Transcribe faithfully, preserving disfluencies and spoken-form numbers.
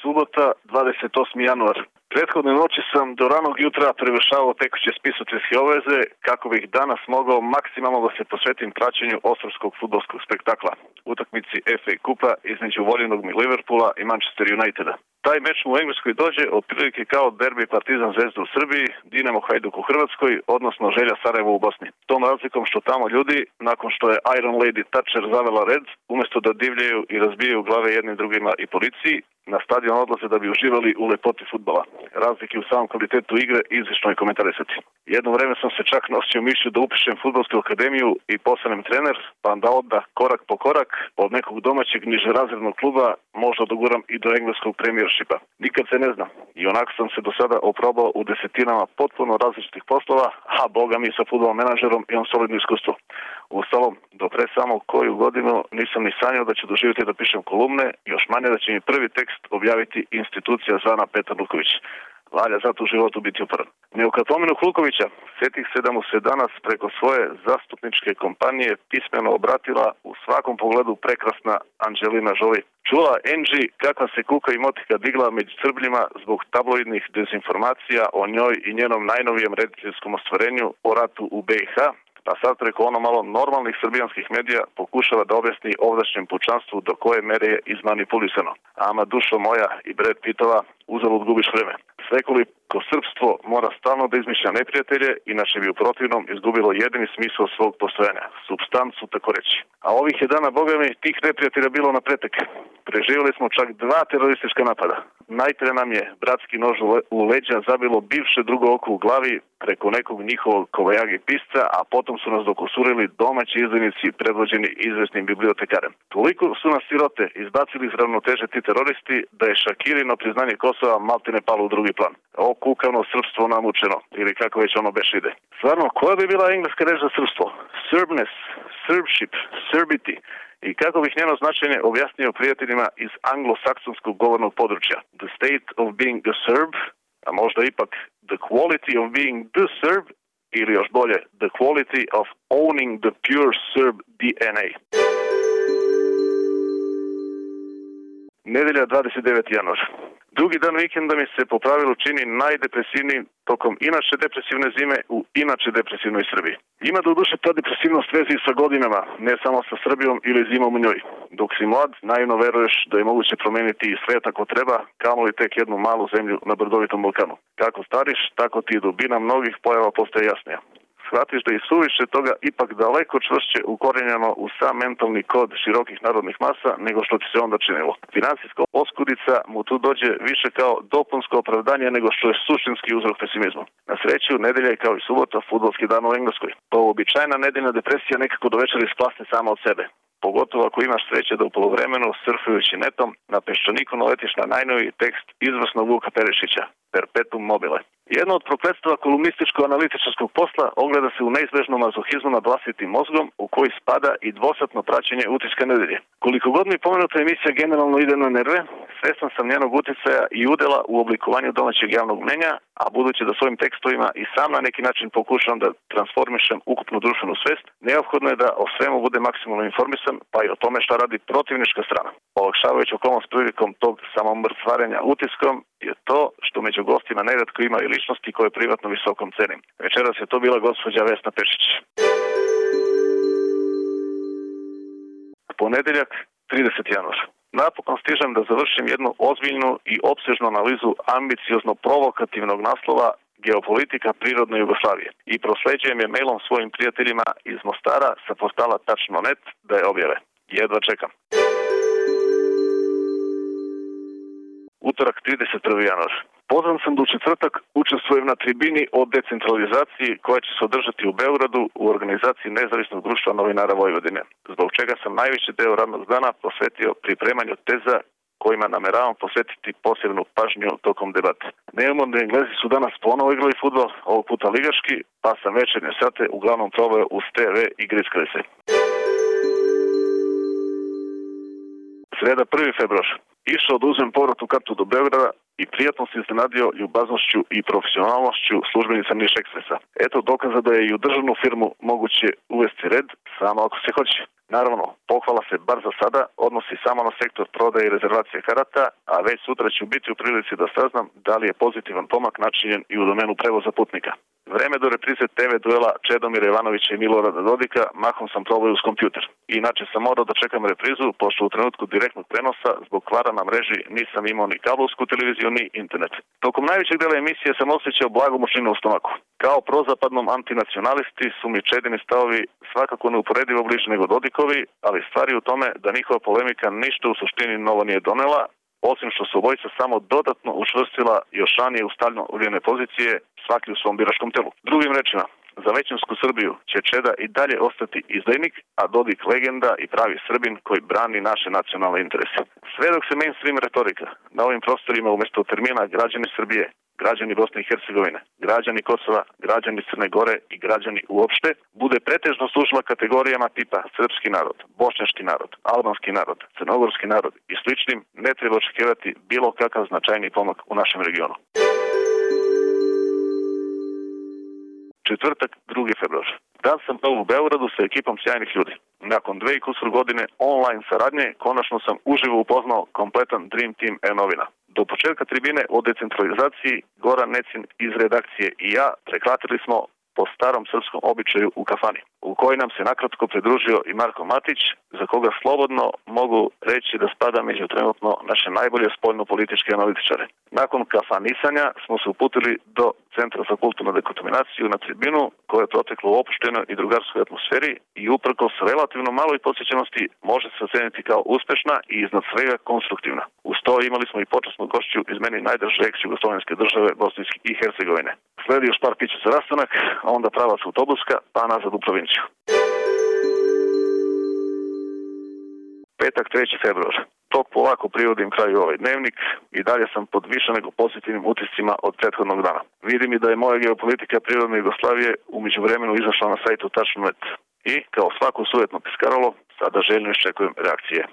subota, dvadeset osmi januar. Prethodne noći sam do ranog jutra prevršavao tekuće spisateljske obveze kako bih danas mogao maksimalno da se posvetim praćenju osramskog fudbalskog spektakla, utakmici F A kupa između voljenog mi Liverpoola i Manchester Uniteda. Taj meč mu u Engleskoj dođe otprilike kao derbi Partizan Zvezda u Srbiji, Dinamo Hajduk u Hrvatskoj, odnosno Želja Sarajevo u Bosni. Tom razlikom što tamo ljudi, nakon što je Iron Lady Thatcher zavela red, umjesto da divljaju i razbijaju glave jednim drugima i policiji, na stadion odlaze da bi uživali u lepoti fudbala. Razlike u samom kvalitetu igre izlično je komentarisati. Jedno vreme sam se čak nosio mišlju da upišem fudbalsku akademiju i postanem trener, pa da onda korak po korak od nekog domaćeg nižerazrednog kluba možda doguram i do engleskog premiershipa. Nikad se ne zna. I onako sam se do sada oprobao u desetinama potpuno različitih poslova, a boga mi sa fudbal menadžerom imam solidno iskustvo. Uostalom, do pre samo koju godinu nisam ni sanjao da ću doživjeti da pišem kolumne, još manje da će mi prvi tekst objaviti institucija zvana Petar Luković. Valja zato u životu biti uporan. Ne u kad pomenu Hlukovića, setih se da mu se danas preko svoje zastupničke kompanije pismeno obratila u svakom pogledu prekrasna Anđelina Žoli. Čula Angie kakva se kuka i motika digla među Srbljima zbog tabloidnih dezinformacija o njoj i njenom najnovijem rediteljskom ostvarenju o ratu u B i H, a sad preko ono malo normalnih srbijanskih medija pokušava da objasni ovdašnjem pučanstvu do koje mere je izmanipulisano. Ama dušo moja i Brad Pittova, uzalud gubiš vreme. Svekoliko srpstvo mora stalno da izmišlja neprijatelje, inače bi u protivnom izgubilo jedini smisao svog postojanja, supstancu tako reći. A ovih je dana, boga mi, tih neprijatelja bilo na pretek. Preživjeli smo čak dva teroristička napada. Najpre nam je bratski nož u leđa zabilo bivše drugo oko u glavi preko nekog njihovog kovajagi pisca, a potom su nas dokusurili domaći izdajnici predvođeni izvesnim bibliotekarem. Toliko su nas sirote izbacili iz ravnoteže ti teroristi da je Šakirino priznanje Kosova maltene palo u drugi plan. O kukavno srpstvo namučeno, ili kako već ono beš ide. Stvarno, koja bi bila engleska reč za srpstvo? Serbness, Serbship, Serbity. I kako bih njeno značenje objasnio prijateljima iz anglosaksonskog govornog područja? The state of being a Serb, a možda ipak the quality of being the Serb, ili još bolje, the quality of owning the pure Serb D N A. Nedelja dvadeset deveti januar. Drugi dan vikenda mi se po pravilu čini najdepresivniji tokom inače depresivne zime u inače depresivnoj Srbiji. Ima do duše ta depresivnost vezi sa godinama, ne samo sa Srbijom ili zimom u njoj. Dok si mlad, naivno veruješ da je moguće promeniti i svet ako treba, kamoli tek jednu malu zemlju na brdovitom Balkanu. Kako stariš, tako ti dubina mnogih pojava postaje jasnija. Shvatiš da je suviše toga ipak daleko čvršće ukorenjeno u sam mentalni kod širokih narodnih masa nego što ti se onda činilo. Finansijska oskudica mu tu dođe više kao dopunsko opravdanje nego što je suštinski uzrok pesimizmu. Na sreću, nedelja je kao i subota fudbalski dan u Engleskoj. Pa uobičajena nedeljna depresija nekako do večera isplasne sama od sebe. Pogotovo ako imaš sreće da u polovremenu, surfujući netom, na peščaniku naletiš na najnoviji tekst izvrsnog Vuka Perišića, Perpetuum mobile. Jedno od prokletstva kolumnističko-analitičarskog posla ogleda se u neizbežnom mazohizmu nad vlastitim mozgom u koji spada i dvosatno praćenje utiska nedelje. Koliko god mi pomenuta emisija generalno ide na nerve, svestan sam njenog uticaja i udela u oblikovanju domaćeg javnog mnjenja, a budući da svojim tekstovima i sam na neki način pokušam da transformišem ukupnu društvenu svest, neophodno je da o svemu bude maksimalno informisan, pa i o tome šta radi protivnička strana. Olakšavajući okolnost prilikom tog samomrcvarenja utiskom je to što među gostima neretko ima i ličnosti koje privatno visokom cenim. Večeras je to bila gospođa Vesna Pešić. Ponedeljak, trideseti januar. Napokon stižem da završim jednu ozbiljnu i opsežnu analizu ambiciozno provokativnog naslova Geopolitika prirodne Jugoslavije i prosleđujem je mailom svojim prijateljima iz Mostara sa portala tačno tačka net da je objave. Jedva čekam. Utorak, trideset prvi januar. Pozvan sam da u četvrtak učestvujem na tribini o decentralizaciji koja će se održati u Beogradu u organizaciji Nezavisnog društva novinara Vojvodine, zbog čega sam najveći deo radnog dana posvetio pripremanju teza kojima nameravam posvetiti posebnu pažnju tokom debate. Neumorni Englezi su danas ponovo igrali fudbal, ovog puta ligaški, pa sam večernje sate uglavnom proveo uz te ve i grickali se. Sreda, prvi februar. Išao da uzmem povratnu kartu do Beograda i prijatno se iznenadio ljubaznošću i profesionalnošću službenica Niš Ekspresa. Eto dokaza da je i u državnu firmu moguće uvesti red, samo ako se hoće. Naravno, pohvala se bar za sada odnosi samo na sektor prodaje i rezervacije karata, a već sutra ću biti u prilici da saznam da li je pozitivan pomak načinjen i u domenu prevoza putnika. Vreme do reprize te ve duela Čedomira Jovanovića i Milorada Dodika mahom sam probao uz kompjuter. Inače sam morao da čekam reprizu, pošto u trenutku direktnog prenosa zbog kvara na mreži nisam imao ni kablovsku televiziju ni internet. Tokom najvećeg dela emisije sam osjećao blagu mučninu u stomaku. Kao prozapadnom antinacionalisti su mi Čedini stavovi svakako neuporedivo bliži nego Dodikovi, ali stvari u tome da njihova polemika ništa u suštini novo nije donela, osim što su obojica samo dodatno učvrstila još ranije ustavljeno uvijene pozicije, svaki u svom biračkom telu. Drugim rečima, za većinsku Srbiju će Čeda i dalje ostati izdajnik, a Dodik legenda i pravi Srbin koji brani naše nacionalne interese. Sve dok se mainstream retorika na ovim prostorima umjesto termina građani Srbije, građani Bosne i Hercegovine, građani Kosova, građani Crne Gore i građani uopšte, bude pretežno služila kategorijama tipa srpski narod, bošnjački narod, albanski narod, crnogorski narod i sličnim, ne treba očekivati bilo kakav značajni pomak u našem regionu. Četvrtak, drugi februar. Dan sam pao u Beogradu sa ekipom sjajnih ljudi. Nakon dve i kusur godine online saradnje, konačno sam uživo upoznao kompletan Dream Team e-novina. Do početka tribine o decentralizaciji Goran Necin iz redakcije i ja prekratili smo po starom srpskom običaju u kafani, u kojoj nam se nakratko pridružio i Marko Matić, za koga slobodno mogu reći da spada među trenutno naše najbolje spoljno-političke analitičare. Nakon kafanisanja smo se uputili do Centra za kulturnu dekontaminaciju na tribinu, koja je protekla u opuštenoj i drugarskoj atmosferi i uprkos relativno maloj posjećenosti može se oceniti kao uspešna i iznad svega konstruktivna. Uz to imali smo i počasnu gošću iz meni najdrže ex-jugoslovenske države Bosne i Hercegovine. Sledi još par pića za rastanak, a onda pravac autobuska, pa nazad u provinciju. Petak, treći februar. Tok polako privodim kraju ovaj dnevnik i dalje sam pod više nego pozitivnim utiscima od prethodnog dana. Vidim i da je moja geopolitika prirodne Jugoslavije u međuvremenu izašla na sajtu tačno net i, kao svako sujetno piskaralo, sada željno iščekujem reakcije.